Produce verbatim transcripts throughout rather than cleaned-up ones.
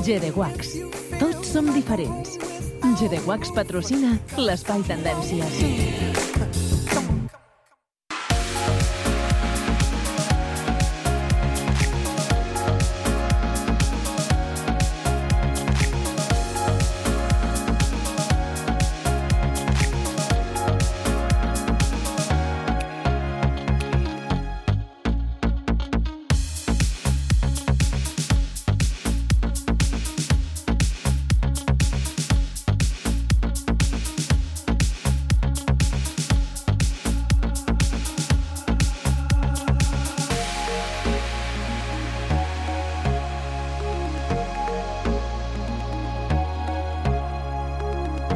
G D Wax. Tots som diferents. G D Wax patrocina l'Espai Tendències.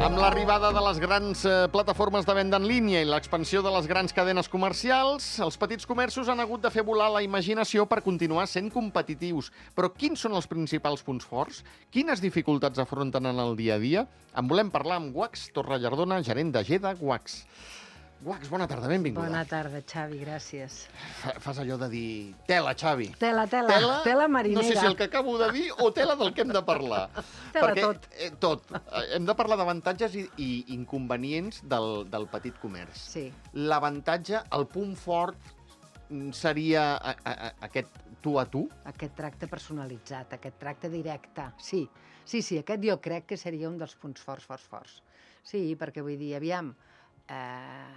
Amb l'arribada de les grans eh, plataformes de venda en línia i l'expansió de les grans cadenes comercials, els petits comerços han hagut de fer volar la imaginació per continuar sent competitius. Però quins són els principals punts forts? Quines dificultats afronten en el dia a dia? En volem parlar amb Wax Torrellardona, gerent de G D Wax. Wax, bona tarda, benvinguda. Bona tarda, Xavi, gràcies. Fa, fas allò de dir tela, Xavi. Tela, tela, tela, tela marinera. No sé si el que acabo de dir o tela del que hem de parlar. Tela Perquè, tot. Eh, tot. Hem de parlar d'avantatges i, i inconvenients del, del petit comerç. Sí. L'avantatge, el punt fort, seria a, a, a, aquest tu a tu? Aquest tracte personalitzat, aquest tracte directe. Sí, sí, sí, aquest jo crec que seria un dels punts forts, forts, forts. Sí, perquè vull dir, aviam, eh,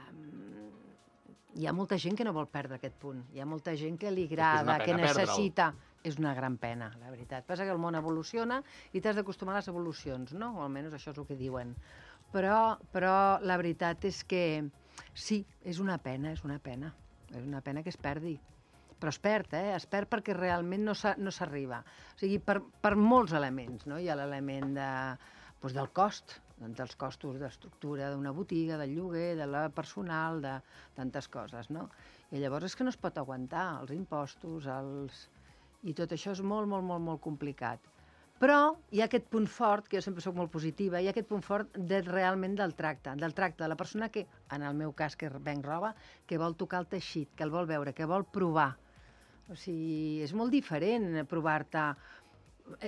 hi ha molta gent que no vol perdre aquest punt. Hi ha molta gent que li agrada, que necessita... És una gran pena, la veritat. Passa que el món evoluciona i t'has d'acostumar a les evolucions, no? O almenys això és el que diuen. Però, però la veritat és que sí, és una pena, és una pena. És una pena que es perdi. Però es perd, eh? Es perd perquè realment no s'arriba. O sigui, per, per molts elements, no? Hi ha l'element de, doncs del cost, dels costos d'estructura d'una botiga, del lloguer, de la personal, de tantes coses, no? I llavors és que no es pot aguantar els impostos, els... i tot això és molt, molt, molt, molt complicat. Però hi ha aquest punt fort, que jo sempre soc molt positiva, hi ha aquest punt fort de, realment del tracte, del tracte de la persona que, en el meu cas, que venc roba, que vol tocar el teixit, que el vol veure, que vol provar. O sigui, és molt diferent provar-te...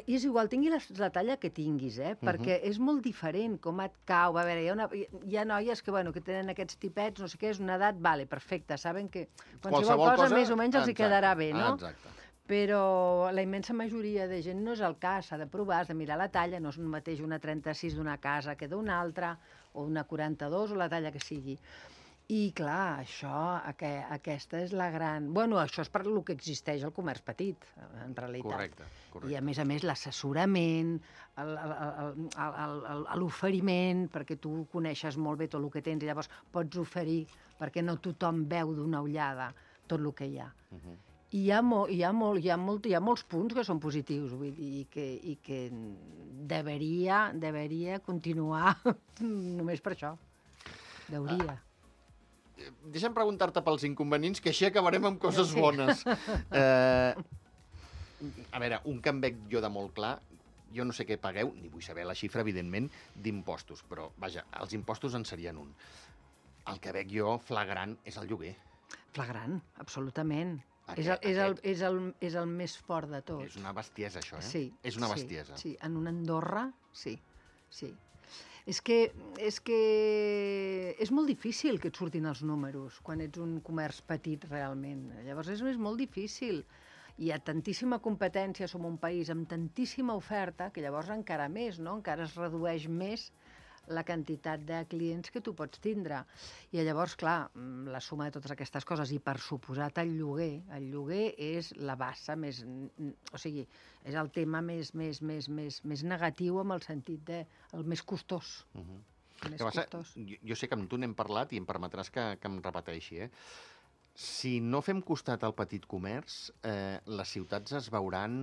I és igual, tingui la, la talla que tinguis, eh? Perquè és molt diferent com et cau. A veure, hi ha, una, hi ha noies que, bueno, que tenen aquests tipets, no sé què, és una edat, vale, perfecte, saben que qualsevol, qualsevol cosa, cosa més o menys els hi quedarà bé, no? Exacte. Però la immensa majoria de gent no és el cas, s'ha de provar, has de mirar la talla, no és un mateix una trenta-sis d'una casa que d'una altra, o una quaranta-dos, o la talla que sigui. I, clar, això, aqu aquesta és la gran... Bueno, això és per lo que existeix el comerç petit, en realitat. Correcte, correcte. I, a més a més, l'assessorament, l'oferiment, perquè tu coneixes molt bé tot el que tens i llavors pots oferir, perquè no tothom veu d'una ullada tot el que hi ha. Uh-huh. I hi ha, molt, hi, ha molt, hi, ha molt, hi ha molts punts que són positius, vull dir, i que, i que deveria, deveria continuar només per això. Deuria. Uh, deixa'm preguntar-te pels inconvenients, que així acabarem amb coses sí. bones. Uh, a veure, un que em veig jo de molt clar, jo no sé què pagueu, ni vull saber la xifra, evidentment, d'impostos, però, vaja, els impostos en serien un. El que veig jo flagrant és el lloguer. Flagrant, absolutament. Aquest, és, el, és, el, és, el, és el més fort de tot. És una bestiesa, això, eh? Sí. És una sí, bestiesa. Sí, en una Andorra, sí, sí. És que, és que és molt difícil que et surtin els números quan ets un comerç petit, realment. Llavors és, és molt difícil. Hi ha tantíssima competència, som un país amb tantíssima oferta, que llavors encara més, no? Encara es redueix més la quantitat de clients que tu pots tindre. I llavors, clar, la suma de totes aquestes coses, i per suposat el lloguer, el lloguer és la bassa més... O sigui, és el tema més, més, més, més, més negatiu en el sentit de... el més costós. Uh-huh. Més que passa, costós. Jo, jo sé que amb tu n'hem parlat i em permetràs que, que em repeteixi, eh? Si no fem costat al petit comerç, eh, les ciutats es veuran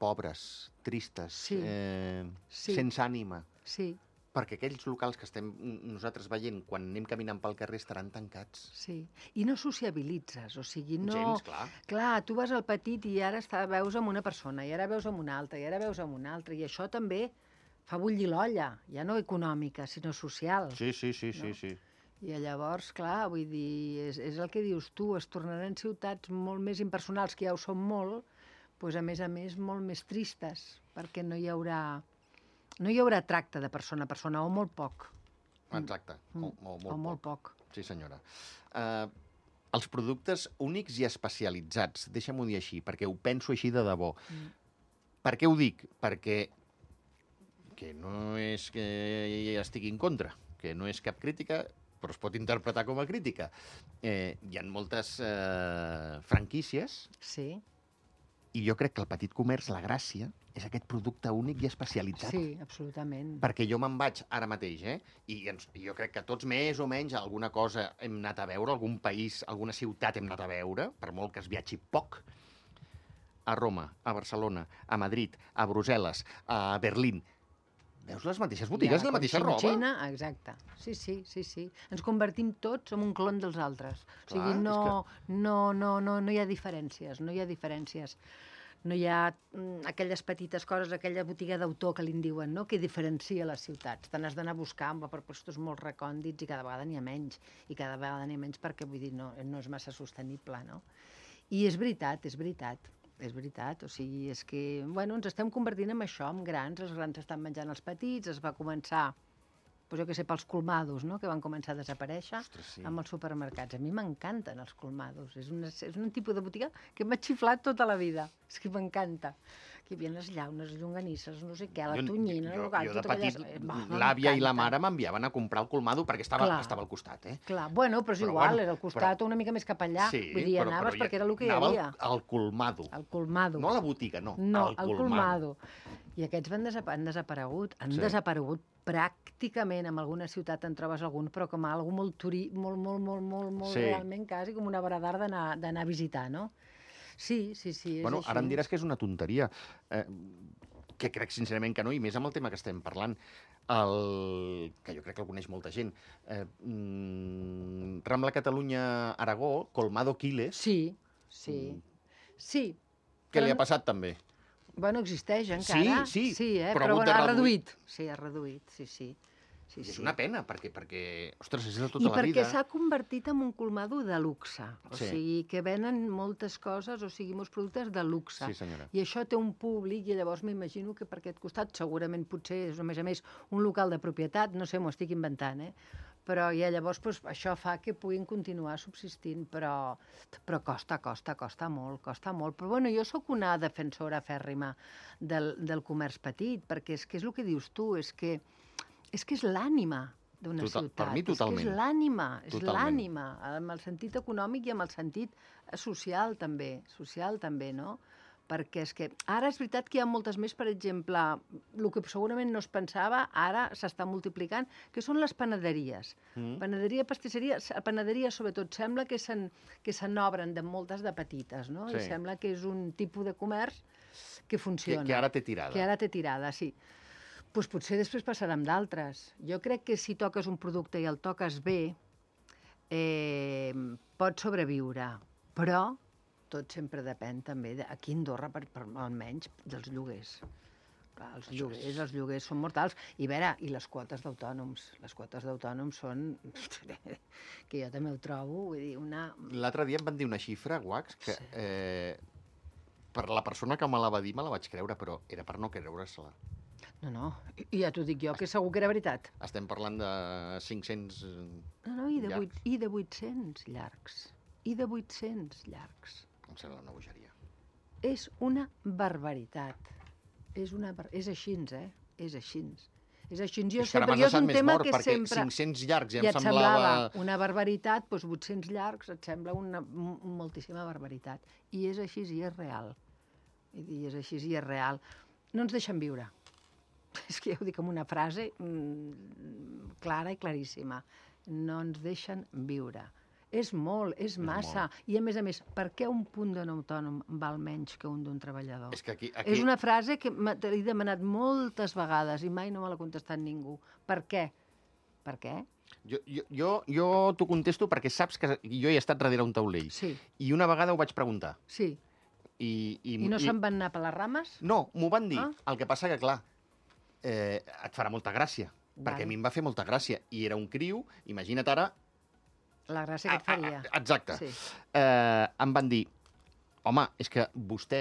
pobres, tristes, sí. Eh, sí. sense ànima. Sí. Perquè aquells locals que estem nosaltres veient quan anem caminant pel carrer estaran tancats. Sí, i no sociabilitzes, o sigui, no... Gens, clar. Clar, tu vas al petit i ara està, veus amb una persona, i ara veus amb una altra, i ara veus amb una altra, i això també fa bullir l'olla, ja no econòmica, sinó social. Sí, sí, sí, no? sí, sí. I llavors, clar, vull dir, és, és el que dius tu, es tornaran ciutats molt més impersonals, que ja ho són molt, pues, a més a més, molt més tristes, perquè no hi haurà, no hi haurà tracte de persona a persona, o molt poc. Exacte, Mm. o, o, molt, o molt poc. poc. Sí, senyora. Uh, els productes únics i especialitzats, deixa'm-ho dir així, perquè ho penso així de debò. Mm. Per què ho dic? Perquè que no és que estigui en contra, que no és cap crítica, però es pot interpretar com a crítica. Eh, hi ha moltes eh, franquícies Sí, i jo crec que el petit comerç, la gràcia, és aquest producte únic i especialitzat. sí, absolutament. Perquè jo me'n vaig ara mateix, eh? I ens, jo crec que tots més o menys alguna cosa hem anat a veure, algun país, alguna ciutat hem anat a veure, per molt que es viatgi poc, a Roma, a Barcelona, a Madrid, a Brussel·les, a Berlín. Veus les mateixes botigues, la mateixa roba? Xina, exacte. Sí, sí, sí, sí. Ens convertim tots en un clon dels altres. O sigui, Clar, no, és no, no, no, no hi ha diferències, no hi ha diferències. No hi ha mm, aquelles petites coses, aquella botiga d'autor que li en diuen, no?, que diferencia les ciutats. Te n'has d'anar a buscar per llocs molt recòndits i cada vegada n'hi ha menys. I cada vegada n'hi ha menys perquè, vull dir, no, no és massa sostenible, no? I és veritat, és veritat. És veritat, o sigui, és que, bueno, ens estem convertint en això, en grans, els grans estan menjant els petits, es va començar, doncs jo què sé, pels colmados, no?, que van començar a desaparèixer. Ostres, sí. Amb els supermercats. A mi m'encanten els colmados, és, una, és un tipus de botiga que m'ha xiflat tota la vida, és que m'encanta. Que hi havia les llaunes, les llonganisses, no sé què, la Jo- tonyina, jo, el gat, jo de tot petit, aquelles- Va, l'àvia i la m'encanta. mare m'enviaven a comprar el colmado perquè estava, Clar. estava al costat, eh? Clar, bueno, però és Però igual, bueno, era al costat però- o una mica més cap allà. Sí, Vull dir, però- anaves però ja- perquè era el que hi anava havia. Al, al colmado. El colmado. No a la botiga, no, No, al el colmado. I aquests van desapa han desaparegut. Han Sí. desaparegut pràcticament. En alguna ciutat en trobes algun, però com a algú molt turí, molt, molt, molt, molt, molt Sí. realment quasi com una obra d'art d'anar d'anar a visitar, no? Sí, sí, sí, és Bueno, així. ara em diràs que és una tonteria, eh, que crec sincerament que no, i més amb el tema que estem parlant, el, que jo crec que el coneix molta gent. Eh, mm, Rambla Catalunya-Aragó, Colmado Quiles, Sí, sí. Mm. Sí. què però li ha no- passat també? Bueno, existeix encara. sí, sí eh? però ha però, hagut bueno, de ha reduir. reduït. Sí, ha reduït, sí, sí. sí, I és sí. una pena, perquè, perquè ostres, és de tota I la perquè vida. s'ha convertit en un colmado de luxe. O Sí. sigui, que venen moltes coses, o sigui, molts productes de luxe. Sí, senyora. I això té un públic, i llavors m'imagino que per aquest costat segurament potser és, a més a més, un local de propietat, no sé, m'ho estic inventant, eh? Però ja llavors doncs, això fa que puguin continuar subsistint, però, però costa, costa, costa molt, costa molt. Però bueno, jo sóc una defensora fèrrima del, del comerç petit, perquè és que és el que dius tu, és que és, que és l'ànima d'una Total- ciutat. per mi, totalment. És que és l'ànima, és Totalment. l'ànima, amb el sentit econòmic i amb el sentit social també, social també, no? Perquè és que ara és veritat que hi ha moltes més, per exemple, el que segurament no es pensava, ara s'està multiplicant, que són les panaderies. Mm. Panaderia, pastisseria, a panaderia sobretot sembla que se'n que se n'obren de moltes de petites, no? Sí. I sembla que és un tipus de comerç que Que, funciona. que ara té tirada. Que ara té tirada, sí. Doncs potser després passarà amb d'altres. Jo crec que si toques un producte i el toques bé, eh, pot sobreviure, però tot sempre depèn també, de, aquí a Andorra, per, per, almenys, dels lloguers. Clar, els lloguers, els lloguers són mortals. I a veure, i les quotes d'autònoms. Les quotes d'autònoms són... que jo també ho trobo, vull dir, una... L'altre dia em van dir una xifra, Wax, que Sí. eh, per la persona que me la va dir me la vaig creure, però era per no creure-se-la. No, no, i ja t'ho dic jo, que segur que era veritat. Estem parlant de cinc-cents... No, no, i de, llargs. vuit, i de vuit-cents llargs. I de vuit-cents llargs. Em sembla una bogeria. És una barbaritat. És, una bar... és així, eh? És així. És així. Jo És que ara sempre, m'has jo és deixat un més tema mort, que perquè sempre... cinc-cents llargs ja ja em et semblava... semblava una barbaritat, doncs vuit-cents llargs et sembla una m- moltíssima barbaritat. I és així i és real. I és així i és real. No ens deixen viure. És que ja ho dic amb una frase mmm, clara i claríssima. No ens deixen viure. És molt, és massa. I a més a més, per què un punt d'un autònom val menys que un d'un treballador? És que aquí... aquí... És una frase que m'ha- te l'he demanat moltes vegades i mai no me l'ha contestat ningú. Per què? Per què? Jo, jo, jo, jo t'ho contesto perquè saps que jo he estat darrere un taulell. Sí, I una vegada ho vaig preguntar. sí. I, i, I no se'n van anar per les rames? No, m'ho van dir. Ah. El que passa que, clar, eh, et farà molta gràcia. Perquè Vale. a mi em va fer molta gràcia. I era un criu, imagina't ara... La gràcia que et a- a- faria. a- Exacte. Sí. Eh, em van dir, home, és que vostè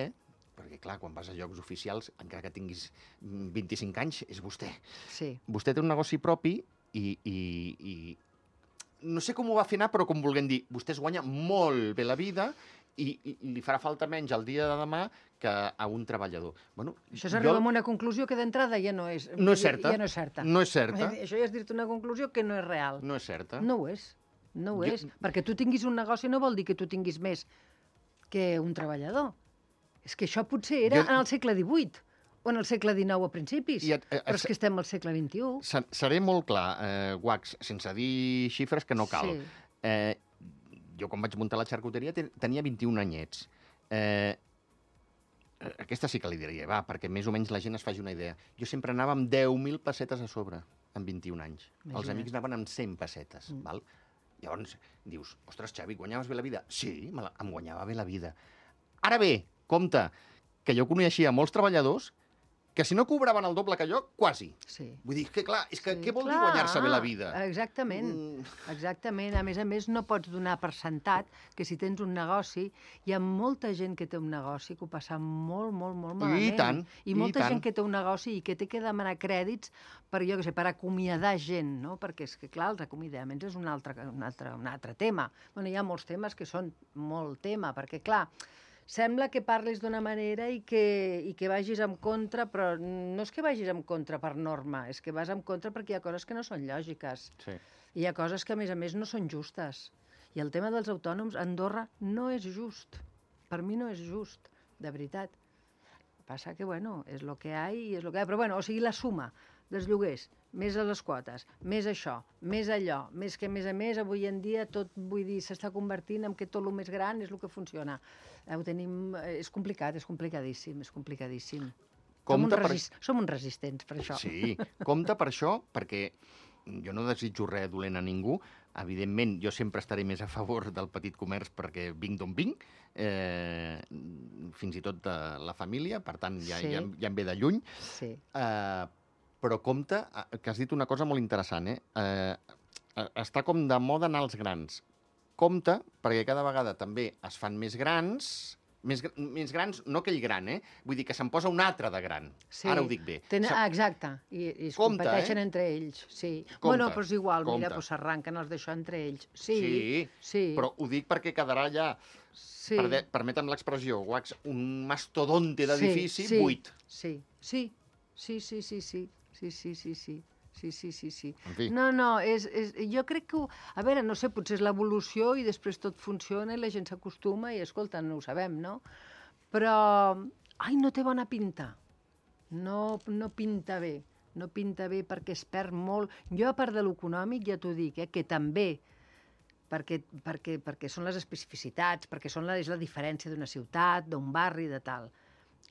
perquè clar, quan vas a llocs oficials, encara que tinguis vint-i-cinc anys, és vostè. Sí. Vostè té un negoci propi i, i, i no sé com ho va fer anar, però com vulguem dir, vostè es guanya molt bé la vida i, i li farà falta menys el dia de demà que a un treballador. Bueno, això s'arriba a una conclusió que d'entrada ja no és... No és certa. Ja no és certa. No és certa. Això ja és dir-te una conclusió que no és real. No és certa. No ho és. No ho Jo... és. Perquè tu tinguis un negoci no vol dir que tu tinguis més que un treballador. És que això potser era jo... en el segle divuit o en el segle dinou a principis, I, eh, però és que estem al segle vint-i-u. Seré molt clar, eh, Wax, sense dir xifres que no cal. Sí. Eh, jo quan vaig muntar la xarcuteria tenia vint-i-un anyets. Eh, aquesta sí que li diria, va, perquè més o menys la gent es faci una idea. Jo sempre anava amb deu mil pessetes a sobre, amb vint-i-un anys. Imagina't. Els amics anaven amb cent pessetes, mm. val? Llavors dius, ostres, Xavi, guanyaves bé la vida? Sí, me la, em guanyava bé la vida. Ara bé, compte, que jo coneixia molts treballadors que si no cobraven el doble que jo, quasi. Sí. Vull dir, que clar, és que sí, què vol clar, dir guanyar-se bé la vida? Exactament, mm. exactament. A més a més, no pots donar per sentat que si tens un negoci, hi ha molta gent que té un negoci que ho passa molt, molt, molt malament. I tant, I molta i gent que té un negoci i que té que demanar crèdits per, jo què sé, per acomiadar gent, no? Perquè és que, clar, els acomiadaments és un altre, un altre, un altre tema. Bueno, hi ha molts temes que són molt tema, perquè, clar, sembla que parlis d'una manera i que, i que vagis en contra, però no és que vagis en contra per norma, és que vas en contra perquè hi ha coses que no són lògiques. Sí. Hi ha coses que, a més a més, no són justes. I el tema dels autònoms a Andorra no és just. Per mi no és just, de veritat. Passa que, bueno, és el que hi ha i és el que hi ha. Però, bueno, o sigui, la suma dels lloguers, més a les quotes, més això, més allò, més que, a més a més, avui en dia tot, vull dir, s'està convertint en que tot el més gran és el que funciona. Ho tenim... És complicat, és complicadíssim, és complicadíssim. Som uns, resist... per... Som uns resistents per això. Sí, compte per això, perquè jo no desitjo res dolent a ningú. Evidentment, jo sempre estaré més a favor del petit comerç perquè vinc d'on vinc, eh, fins i tot de la família, per tant, ja, sí. ja, ja em ve de lluny. Sí. Eh, però compte, que has dit una cosa molt interessant, eh? eh? Està com de moda anar als grans. Compte, perquè cada vegada també es fan més grans, més, més grans, no aquell gran, eh? Vull dir que se'n posa un altre de gran. Sí. Ara ho dic bé. Ten... Ah, exacte, i, i es compte, competeixen eh? entre ells. Sí. Compte, bueno, però és igual, compte. Mira, pues s'arranquen els d'això entre ells. Sí, sí, sí, però ho dic perquè quedarà ja, sí. per permetem l'expressió, un mastodonte d'edifici sí, sí, buit. Sí, sí, sí, sí, sí, sí. Sí, sí, sí, sí. Sí, sí, sí, sí. En fi. No, no, és, és, jo crec que... Ho, a veure, no sé, potser és l'evolució i després tot funciona i la gent s'acostuma i, escolta, no ho sabem, no? Però, ai, no té bona pinta. No, no pinta bé. No pinta bé perquè es perd molt. Jo, a part de l'econòmic, ja t'ho dic, eh, que també, perquè, perquè, perquè són les especificitats, perquè són la, és la diferència d'una ciutat, d'un barri, de tal.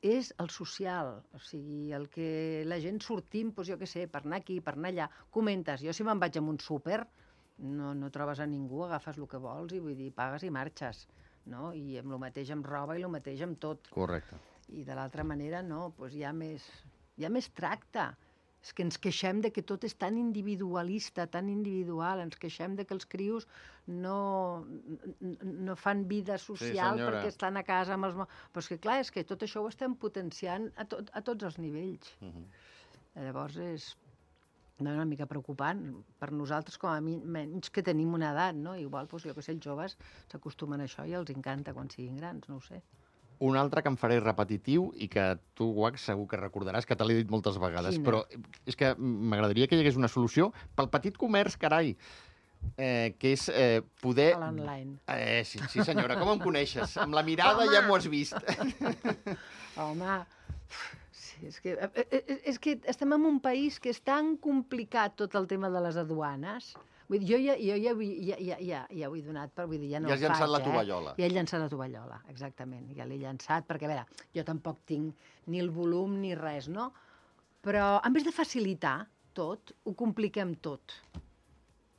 És el social, o sigui, el que la gent sortim, doncs jo què sé, per anar aquí, per anar allà, comentes. Jo si me'n vaig a un súper, no, no trobes a ningú, agafes el que vols i vull dir, pagues i marxes, no? I amb el mateix amb roba i el mateix amb tot. Correcte. I de l'altra manera, no, doncs hi ha més, hi ha més tracte. És que ens queixem de que tot és tan individualista, tan individual, ens queixem de que els crios no, no fan vida social sí, perquè estan a casa amb els... Però és que clar, és que tot això ho estem potenciant a, tot, a tots els nivells. Uh-huh. Llavors és una mica preocupant per nosaltres, com a menys que tenim una edat, no? Igual, doncs, jo que sé, els joves s'acostumen a això i els encanta quan siguin grans, no ho sé. Un altre que em faré repetitiu i que tu, Wax, segur que recordaràs, que te l'he dit moltes vegades, Quina? Però és que m'agradaria que hi hagués una solució pel petit comerç, carai, eh, que és eh, poder... A l'online. Eh, sí, sí, senyora, com em coneixes? Amb la mirada Home. Ja m'ho has vist. Home, sí, és que, és que estem en un país que és tan complicat tot el tema de les aduanes. Vull dir, jo ja, jo ja, ja, ja, ja, ja ho he donat, però vull dir, ja no ja ho faig, Ja has llançat la tovallola. Eh? Ja he llançat la tovallola, exactament. Ja l'he llançat, perquè, a veure, jo tampoc tinc ni el volum ni res, no? Però, en vez de facilitar tot, ho compliquem tot.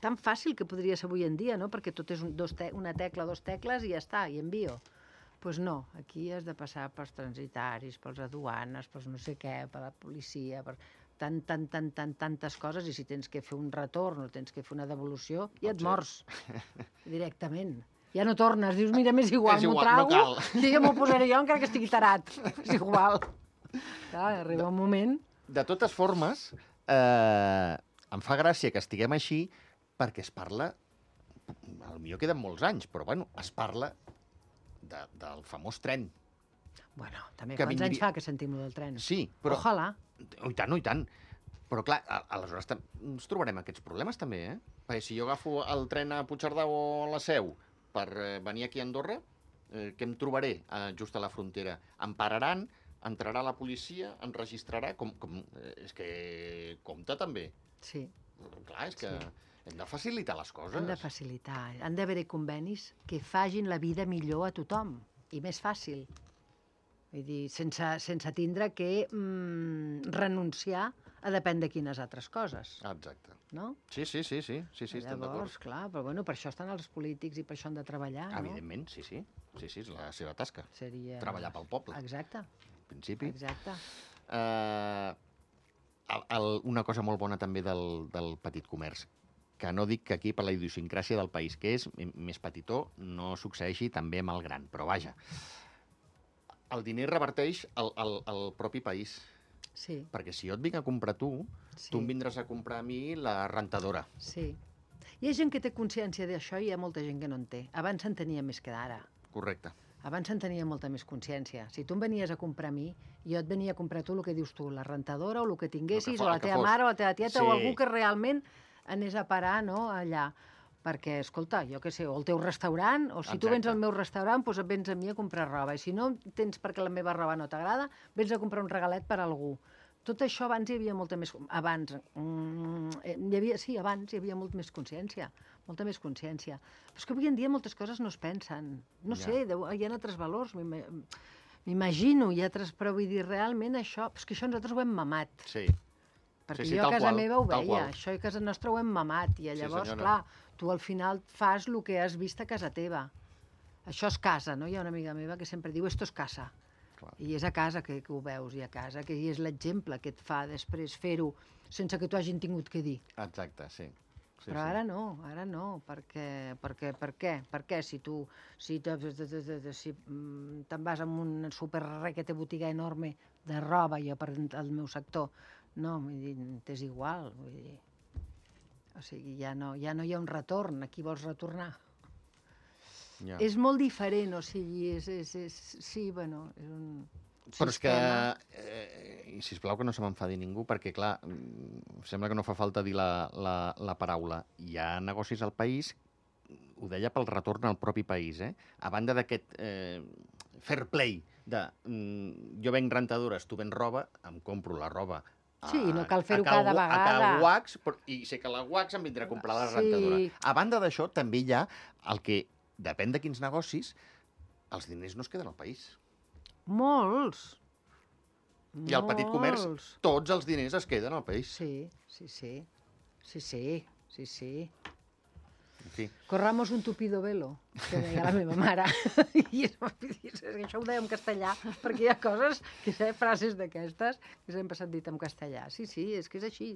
Tan fàcil que podria ser avui en dia, no? Perquè tot és un, dos te una tecla, dos tecles i ja està, i envio. Doncs pues no, aquí has de passar pels transitaris, pels aduanes, pels no sé què, per la policia, per... tant, tant, tant, tant, tantes coses, i si tens que fer un retorn o tens que fer una devolució, ja et mors directament. Ja no tornes, dius, mira, m'és igual, És m'ho igual, no trago, cal. i ja m'ho posaré jo encara que estigui tarat. És igual. Clar, arriba un moment... De totes formes, eh, em fa gràcia que estiguem així perquè es parla, potser queden molts anys, però bueno, es parla de, del famós tren. Bueno, també Que quants vindria- anys fa que sentim lo del tren? Sí, però... Ojalà. Oh, i tant, oh, i tant. Però clar, a- aleshores tam- ens trobarem aquests problemes també, eh? Perquè si jo agafo el tren a Puigcerdà o a la Seu per eh, venir aquí a Andorra, eh, què em trobaré eh, just a la frontera? Em pararan, entrarà la policia, em registrarà... Com, com, eh, és que compta també. Sí, Clar, és que Sí. hem de facilitar les coses. han de facilitar. Han d'haver-hi convenis que fagin la vida millor a tothom i més fàcil. Vull dir, sense, sense tindre que mm, renunciar a depèn de quines altres coses, Exacte. no? Sí, sí, sí, sí, sí, sí estem d'acord. Llavors, clar, però bueno, per això estan els polítics i per això han de treballar, no? Evidentment, sí, sí. Sí, sí, és la seva tasca. Seria... Treballar pel poble, Exacte, en principi. exacte. Eh, el, el, una cosa molt bona també del, del petit comerç, que no dic que aquí per la idiosincràsia del país, que és m- més petitó, no succeeixi també amb el gran, però vaja. El diner reverteix al, al, al propi país, Sí, perquè si jo et vinc a comprar tu, sí. tu em vindràs a comprar a mi la rentadora. Sí. Hi ha gent que té consciència d'això i hi ha molta gent que no en té. Abans se'n tenia més que d'ara. Correcte. Abans se'n tenia molta més consciència. Si tu em venies a comprar a mi, jo et venia a comprar tu el que dius tu, la rentadora o el que tinguessis, fo- o el la que teva fos. mare o la teva tieta, Sí. o algú que realment anés a parar, no?, allà. Perquè, escolta, jo què sé, o el teu restaurant, o si tu vens Exacte. al meu restaurant, doncs et vens a mi a comprar roba. I si no tens perquè la meva roba no t'agrada, vens a comprar un regalet per a algú. Tot això abans hi havia molta més... Abans, mm, eh, hi havia, sí, abans hi havia molt més consciència, molta més consciència. Però és que avui en dia moltes coses no es pensen. No Ja. sé, deu, hi ha altres valors, m'ima- m'imagino, hi ha altres... Però vull dir, realment això... És que això nosaltres ho hem mamat. Sí. Perquè Sí, sí, jo a tal casa qual, meva ho tal veia, qual. això a casa nostra ho hem mamat, i Sí, llavors, senyora. clar, tu al final fas el que has vist a casa teva. Això és casa, no? Hi ha una amiga meva que sempre diu, esto es casa. Clar. I és a casa que, que ho veus, i a casa que és l'exemple que et fa després fer-ho sense que t'ho hagin tingut que dir. Exacte, sí. sí Però sí. ara no, ara no, perquè, perquè, per què? Per què si tu si te- te- te- te- te- si, mm, te'n vas a un super requete botiga enorme de roba, jo per al meu sector, no, vull dir, t'és igual, vull dir, o sigui, ja no, ja no hi ha un retorn, a qui vols retornar? Ja. És molt diferent, o sigui, és, és, és sí, bueno, és un Però és que, sistema. eh, i sisplau que no se m'enfadi ningú, perquè, clar, mm, sembla que no fa falta dir la, la, la paraula. Hi ha negocis al país, ho deia pel retorn al propi país, eh? A banda d'aquest eh, fair play de mm, jo venc rentadores, tu vens roba, em compro la roba. a- Sí, no cal fer-ho a Cal cada Wa- A vegada. Cal Wax, però, i sé que la Wax em vindrà a comprar la Sí. rentadora. A banda d'això, també hi ha el que, depèn de quins negocis, els diners no es queden al país. Molts. I al petit comerç, Molts. tots els diners es queden al país. Sí, sí, sí. Sí, sí, sí, sí. En fi. Corramos un tupido velo, que deia la meva mare. I és, és que això ho deia en castellà, perquè hi ha coses, que sé, frases d'aquestes, que sempre s'han dit en castellà. Sí, sí, és que és així.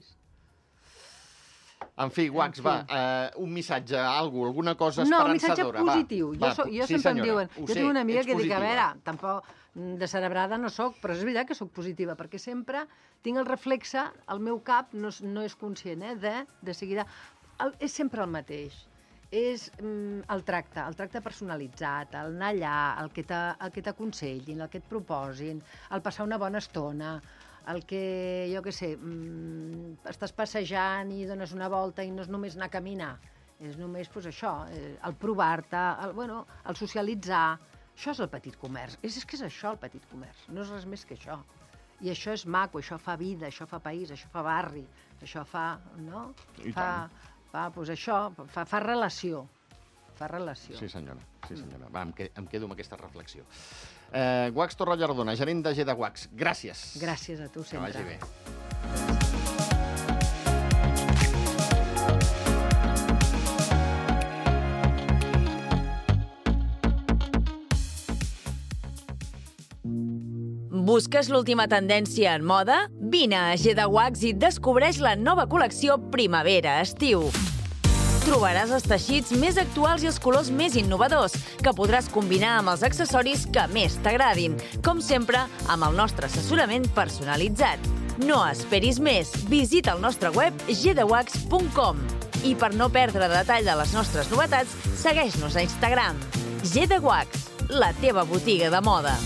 En fi, Wax, En fi. va, eh, un missatge, algú, alguna cosa No, un missatge esperançadora. positiu. Va, Jo, va, so, jo sí, sempre em senyora, diuen... ho Jo sé, tinc una amiga ets que dic, a positiva. veure, tampoc mm, de cerebrada no sóc, però és veritat que sóc positiva, perquè sempre tinc el reflexe, el meu cap no, és- no és conscient, eh, de, de seguida... El, és sempre el mateix. És mm, el tracte, el tracte personalitzat, el anar allà, el que t'a- el que t'aconsellin, el que et proposin, el passar una bona estona, el que, jo què sé, mm, estàs passejant i dones una volta i no és només anar a caminar, és només pues, això, eh, el provar-te, el, bueno, el socialitzar. Això és el petit comerç. És, és que és això el petit comerç, no és res més que això. I això és maco, això fa vida, això fa país, això fa barri, això fa, no? I fa, fa, pues això, fa, fa relació, fa relació. Sí, senyora, sí, senyora. Va, em, que, em quedo amb aquesta reflexió. Eh, Wax Torrallardona, gerent de G de Wax, gràcies. Gràcies a tu Que sempre. vagi bé. Busques l'última tendència en moda? Vine a G de Wax i descobreix la nova col·lecció Primavera-Estiu. Trobaràs els teixits més actuals i els colors més innovadors, que podràs combinar amb els accessoris que més t'agradin, com sempre amb el nostre assessorament personalitzat. No esperis més, visita el nostre web g de wax punt com i per no perdre detall de les nostres novetats, segueix-nos a Instagram. G de Wax, la teva botiga de moda.